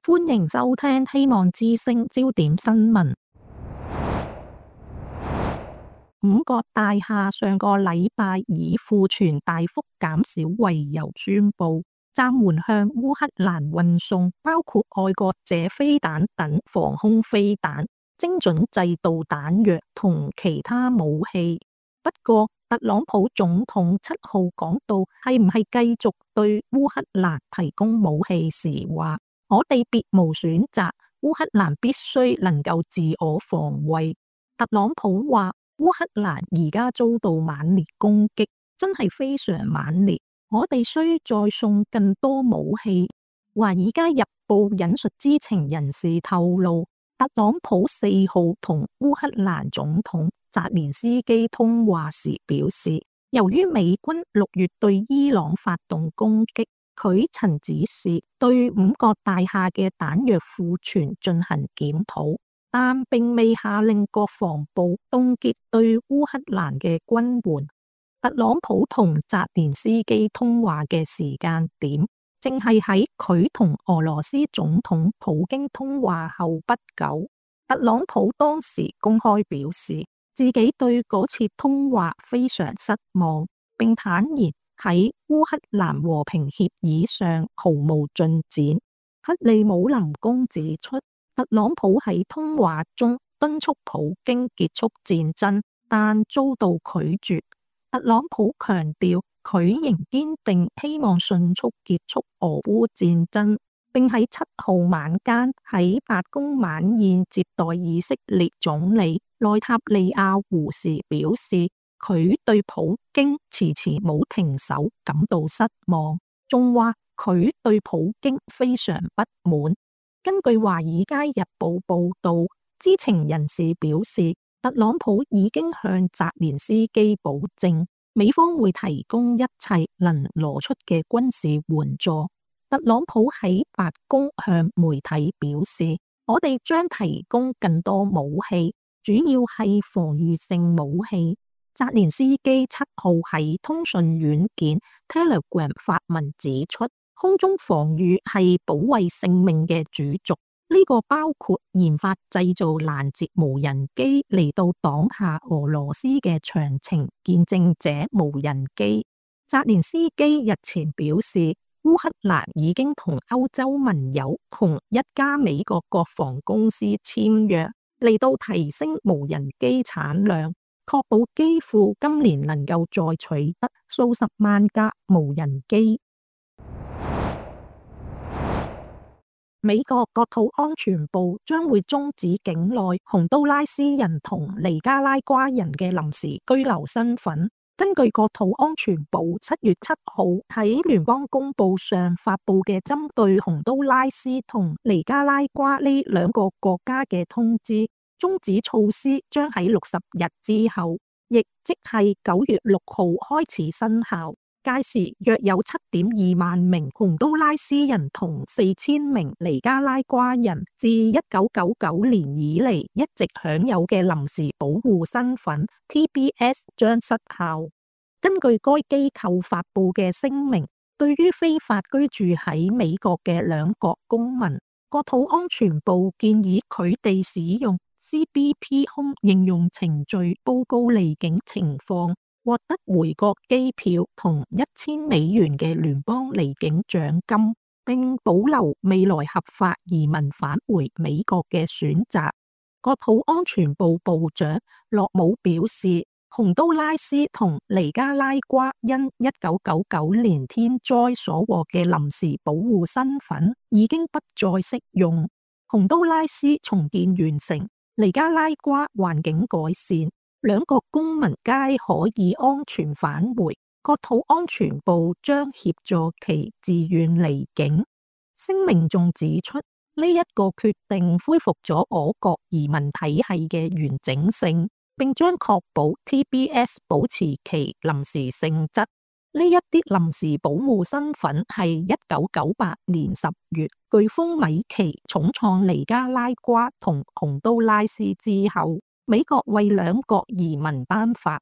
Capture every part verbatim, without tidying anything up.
歡迎收聽希望之聲焦點新聞。五角大廈上個禮拜以庫存大幅減少為由宣布暫緩向烏克蘭運送包括愛國者飛彈等防空飛彈、精準制導彈藥同其他武器。不過特朗普總統七號講到係唔係繼續對烏克蘭提供武器時話，我哋別無選擇，烏克蘭必須能夠自我防衛。特朗普話烏克蘭而家遭到猛烈攻擊，真係非常猛烈，我哋需再送更多武器。華爾街日報引述知情人士透露，特朗普四號同烏克蘭總統澤連斯基通話時表示，由於美軍六月對伊朗發動攻擊，佢曾指示對五角大廈嘅彈藥庫存進行檢討，但並未下令國防部凍結對烏克蘭嘅軍援。特朗普同澤連斯基通話嘅時間點，正係喺佢同俄羅斯總統普京通話後不久。特朗普當時公開表示，自己對嗰次通話非常失望，並坦言喺烏克蘭和平協議上毫無進展。克里姆林宮指出，特朗普喺通話中敦促普京結束戰爭，但遭到拒絕。特朗普強調，佢仍堅定希望迅速結束俄烏戰爭，並喺七號晚間喺白宮晚宴接待以色列總理內塔尼亞胡時表示，佢對普京遲遲冇停手感到失望，仲話佢對普京非常不滿。根據華爾街日報報道，知情人士表示，特朗普已經向澤連斯基保證，美方會提供一切能攞出嘅軍事援助。特朗普喺白宮向媒體表示，我哋將提供更多武器，主要係防禦性武器。澤連斯基七號喺通訊軟件 Telegram 發文指出，空中防禦係保衛性命嘅主軸，呢、這個包括研發製造攔截無人機嚟到擋下俄羅斯嘅長程見證者無人機。澤連斯基日前表示，烏克蘭已經同歐洲盟友同一家美國國防公司簽約，嚟到提升無人機產量，確保基輔今年能夠再取得數十萬架無人機。美國國土安全部將會終止境內洪都拉斯人同尼加拉瓜人嘅臨時居留身份。根據國土安全部七月七號喺聯邦公報上發布嘅針對洪都拉斯同尼加拉瓜呢兩個國家嘅通知，終止措施將喺六十日之後，亦即係九月六號開始生效。屆時約有七點二萬名洪都拉斯人同四千名尼加拉瓜人自一九九九年以嚟一直享有嘅臨時保護身份 T B S 將失效。根據該機構發布嘅聲明，對於非法居住喺美國嘅兩國公民，國土安全部建議佢哋使用 C B P Home 應用程序報告離境情況，獲得回國機票同一千美元嘅聯邦離境獎金，並保留未來合法移民返回美國嘅選擇。國土安全部部長洛姆表示，洪都拉斯同尼加拉瓜因一九九九年天災所獲嘅臨時保護身份已經不再適用。洪都拉斯重建完成，尼加拉瓜環境改善，兩國公民皆可以安全返回，國土安全部將協助其自願離境。聲明仲指出，呢一個決定恢復咗我國移民體系嘅完整性，並將確保 T B S 保持其臨時性質。呢一啲臨時保護身份係一九九八年十月颶風米奇重創尼加拉瓜同洪都拉斯之後，美國為兩國移民頒發。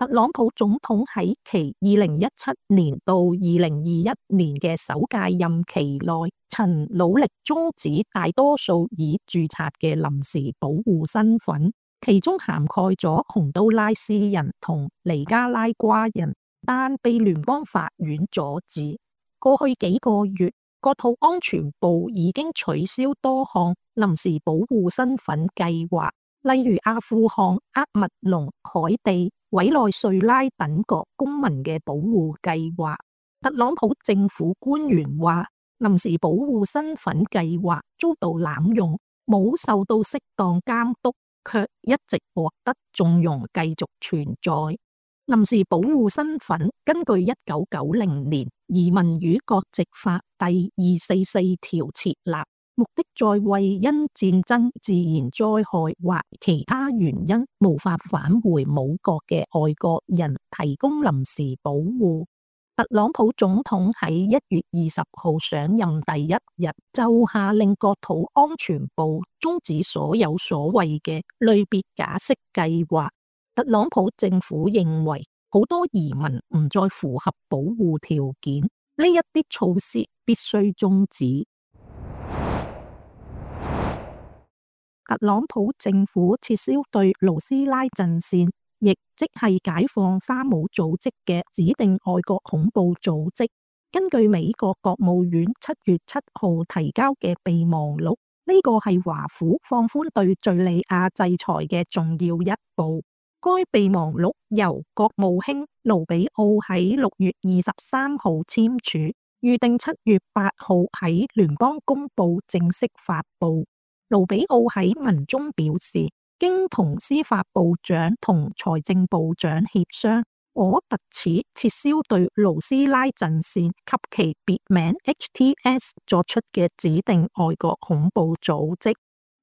特朗普總統喺其二零一七年到二零二一年嘅首屆任期內，曾努力終止大多數已註冊嘅臨時保護身份，其中涵蓋咗洪都拉斯人同尼加拉瓜人，但被聯邦法院阻止。過去幾個月，國土安全部已經取消多項臨時保護身份計劃，例如阿富汗、厄密隆、海地、委內瑞拉等國公民嘅保護計劃。特朗普政府官員話，臨時保護身份計劃遭到濫用，冇受到適當監督，卻一直獲得縱容繼續存在。臨時保護身份根據一九九零年移民與國籍法第二四四條設立，目的在為因戰爭、自然災害或其他原因無法返回母國嘅外國人提供臨時保護。特朗普總統喺一月二十號上任第一日就下令國土安全部終止所有所謂嘅類別假釋計劃。特朗普政府認為好多移民唔再符合保護條件，呢一啲措施必須終止。特朗普政府撤銷對盧斯拉陣線，亦即係解放沙姆組織嘅指定外國恐怖組織。根據美國國務院七月七號提交嘅備忘錄，呢個係華府放寬對敘利亞制裁嘅重要一步。該備忘錄由國務卿盧比奧喺六月二十三號簽署，預定七月八號喺聯邦公報正式發布。盧比奧喺文中表示，經同司法部長同財政部長協商，我特此撤銷對盧斯拉陣線及其別名 H T S 作出嘅指定外國恐怖組織。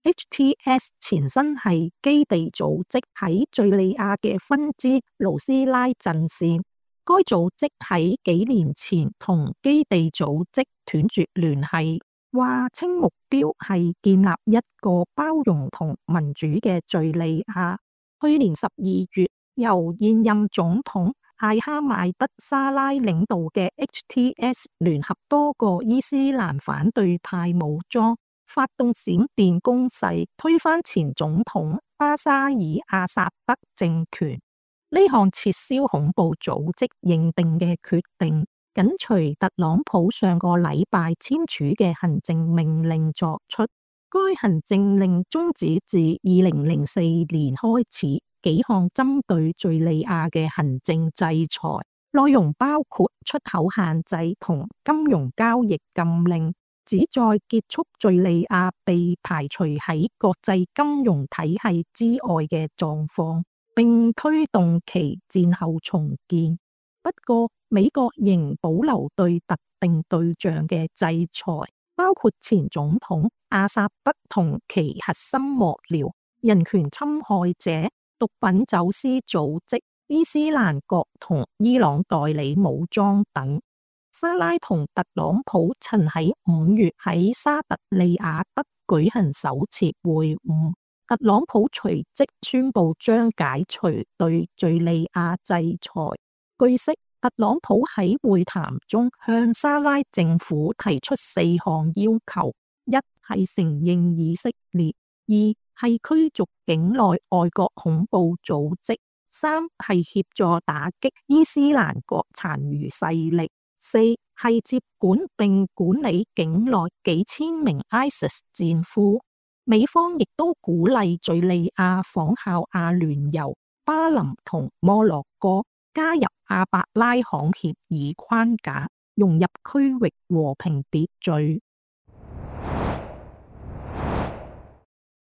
H T S 前身係基地組織喺敘利亞嘅分支盧斯拉陣線，該組織喺幾年前同基地組織斷絕聯繫，話稱目標係建立一個包容同民主嘅敘利亞。去年十二月，由現任總統艾哈邁德沙拉領導嘅 H T S 聯合多個伊斯蘭反對派武裝，發動閃電攻勢，推翻前總統巴沙爾阿薩德政權。呢項撤銷恐怖組織認定嘅決定，緊隨特朗普上個禮拜簽署嘅行政命令作出。該行政令終止自二零零四年開始幾項針對敘利亞嘅行政制裁，內容包括出口限制同金融交易禁令，旨在結束敘利亞被排除喺國際金融體系之外嘅狀況，並推動其戰後重建。不過，美國仍保留對特定對象嘅制裁，包括前總統阿薩德同其核心幕僚、人權侵害者、毒品走私組織、伊斯蘭國同伊朗代理武裝等。沙拉同特朗普曾喺五月喺沙特利雅德舉行首次會晤，特朗普隨即宣布將解除對敘利亞制裁。據悉，特朗普喺會談中向沙拉政府提出四項要求：一係承認以色列，二係驅逐境內外國恐怖組織，三係協助打擊伊斯蘭國殘餘勢力，四係接管並管理境內幾千名 ISIS 戰俘。美方亦都鼓勵敘利亞仿效阿聯酋、巴林同摩洛哥，加入阿伯拉罕協議框架，融入區域和平秩序。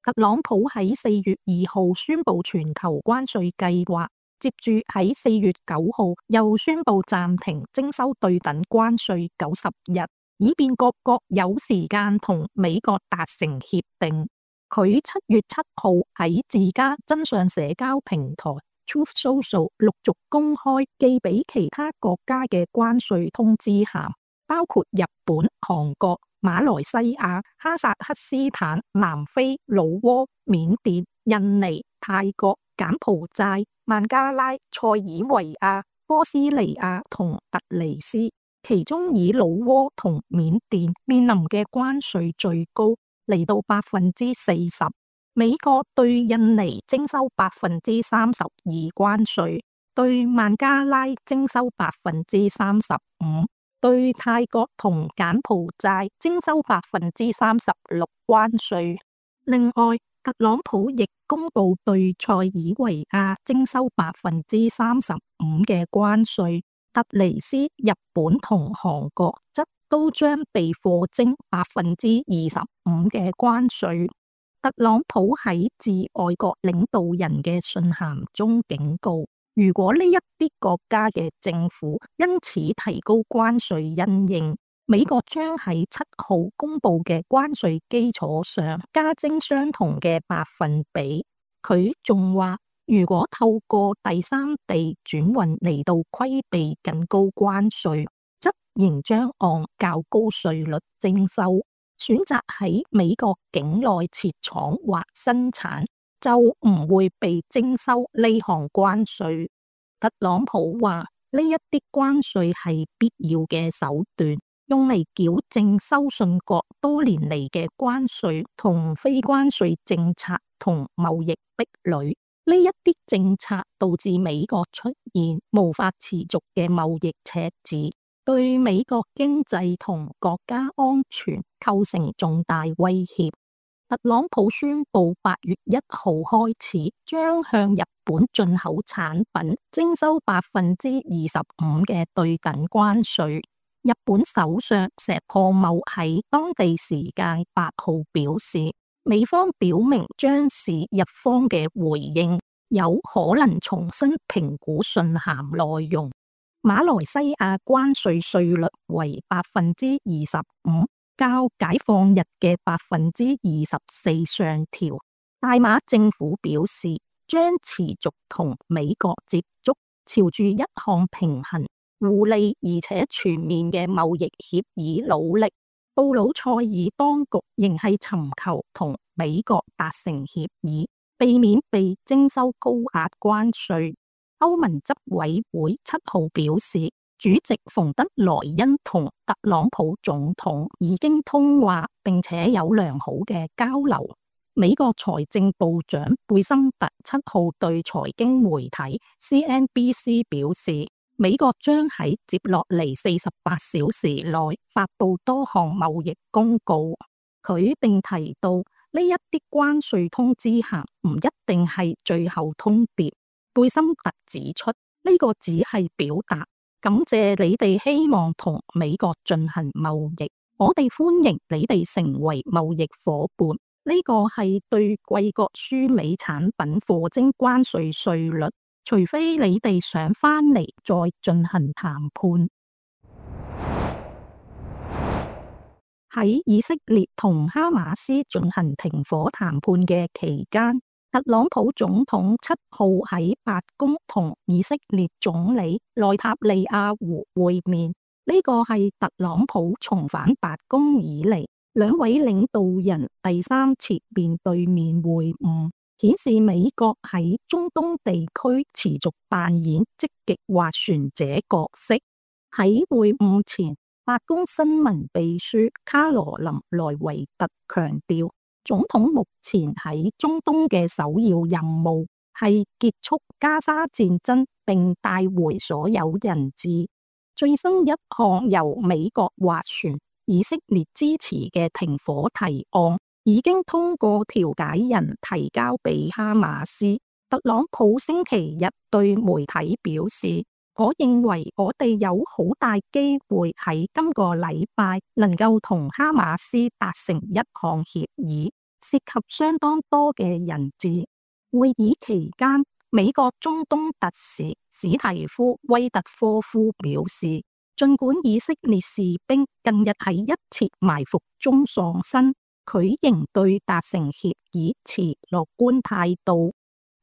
特朗普喺四月二號宣布全球關稅計劃，接住喺四月九號又宣布暫停徵收對等關稅九十日，以便各國有時間同美國達成協定。佢七月七號喺自家真相社交平台 Truth Social 陸續公開寄俾其他國家嘅關稅通知函，包括日本、韓國、馬來西亞、哈薩克斯坦、南非、老撾、緬甸、印尼、泰國、柬埔寨、孟加拉、塞爾維亞、波斯尼亞同突尼斯，其中以老撾同緬甸面臨嘅關稅最高，嚟到百分之四十。美國對印尼徵收百分之三十二關稅，對孟加拉徵收百分之三十五，對泰國同柬埔寨徵收百分之三十六關稅。另外，特朗普亦公布對塞爾維亞徵收百分之三十五嘅關稅，突尼斯、日本同韓國則都將被課徵百分之二十五嘅關稅。特朗普喺致外國領導人嘅信函中警告，如果呢一啲國家嘅政府因此提高關稅因應，美國將喺七號公布嘅關稅基礎上加徵相同嘅百分比。佢仲話，如果透過第三地轉運嚟到規避更高關稅，則仍將按較高稅率徵收。選擇喺美國境內設廠或生產，就唔會被徵收呢項關稅。特朗普話，呢一啲關稅係必要嘅手段，用嚟矯正收信國多年嚟嘅關稅同非關稅政策同貿易壁壘。呢一啲政策導致美國出現無法持續嘅貿易赤字，對美國經濟同國家安全構成重大威脅。特朗普宣布八月一號開始將向日本進口產品徵收百分之二十五嘅對等關稅。日本首相石破茂喺當地時間八號表示，美方表明將視日方嘅回應，有可能重新評估信函內容。馬來西亞關稅稅率為百分之二十五，較解放日嘅百分之二十四上調。大馬政府表示，將持續同美國接觸，朝住一項平衡、互利而且全面嘅貿易協議努力。布魯塞爾當局仍係尋求同美國達成協議，避免被徵收高額關稅。歐盟執委會七號表示，主席馮德萊恩同特朗普總統已經通話，並且有良好嘅交流。美國財政部長貝森特七號對財經媒體 C N B C 表示，美國將喺接落嚟四十八小時內發布多項貿易公告。佢並提到，呢一啲關稅通知函唔一定係最後通牒。貝森特指出，呢個只係表達感謝你哋希望同美國進行貿易，我哋歡迎你哋成為貿易夥伴。呢個係對貴國輸美產品課徵關稅稅率，除非你哋想返嚟再進行談判。喺以色列同哈馬斯進行停火談判嘅期間，特朗普總統七號喺白宮同以色列總理內塔尼亞胡會面，呢個係特朗普重返白宮以嚟兩位領導人第三次面對面會晤，顯示美國喺中東地區持續扮演積極斡旋者角色。喺會晤前，白宮新聞秘書卡羅琳萊維特強調，總統目前喺中東嘅首要任務係結束加沙戰爭，並帶回所有人質。最新一項由美國斡旋、以色列支持嘅停火提案，已經通過調解人提交俾哈馬斯。特朗普星期日對媒體表示，我認為我哋有好大機會喺今個禮拜能夠同哈馬斯達成一項協議，涉及相當多嘅人質。會議期間，美國中東特使史提夫威特科夫表示，儘管以色列士兵近日喺一次埋伏中喪生，佢仍對達成協議持樂觀態度。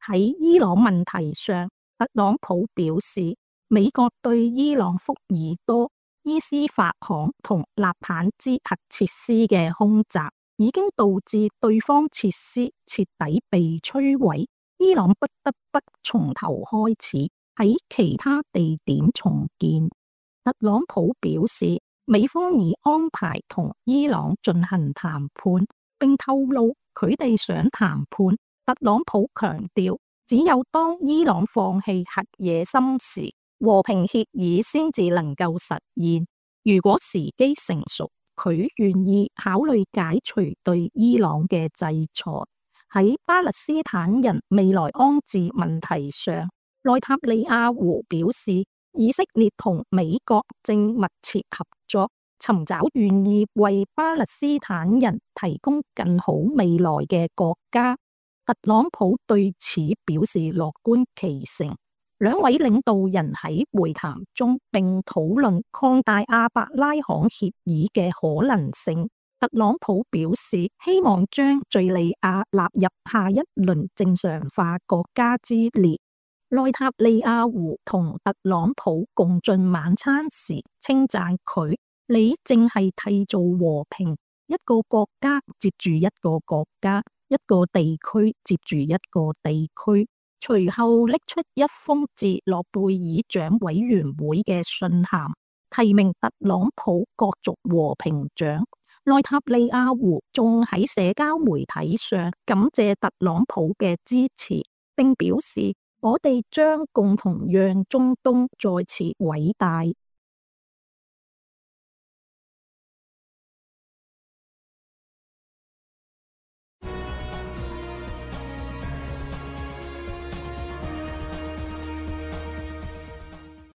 喺伊朗問題上，特朗普表示，美國對伊朗福爾多、伊斯法罕同納坦茲核設施嘅空襲，已經導致對方設施徹底被摧毀。伊伊朗不得不從頭開始喺其他地點重建。特朗普表示，美方已安排同伊朗進行談判，並透露佢哋想談判。特朗普強調，只有當伊朗放棄核野心時，和平協議先至能夠實現。如果時機成熟，佢願意考慮解除對伊朗嘅制裁。喺巴勒斯坦人未來安置問題上，內塔尼亞胡表示，以色列同美國正密切合作，尋找願意為巴勒斯坦人提供更好未來嘅國家。特朗普對此表示樂觀其成。兩位領導人喺會談中並討論擴大阿伯拉罕協議嘅可能性。特朗普表示，希望將敘利亞納入下一輪正常化國家之列。內塔尼亞胡同特朗普共進晚餐時稱讚佢，你正係締造和平，一個國家接住一個國家，一個地區接住一個地區。隨後拎出一封致諾貝爾獎委員會嘅信函，提名特朗普角逐和平獎。內塔尼亞胡仲喺社交媒體上感謝特朗普嘅支持，並表示，我哋將共同讓中東再次偉大。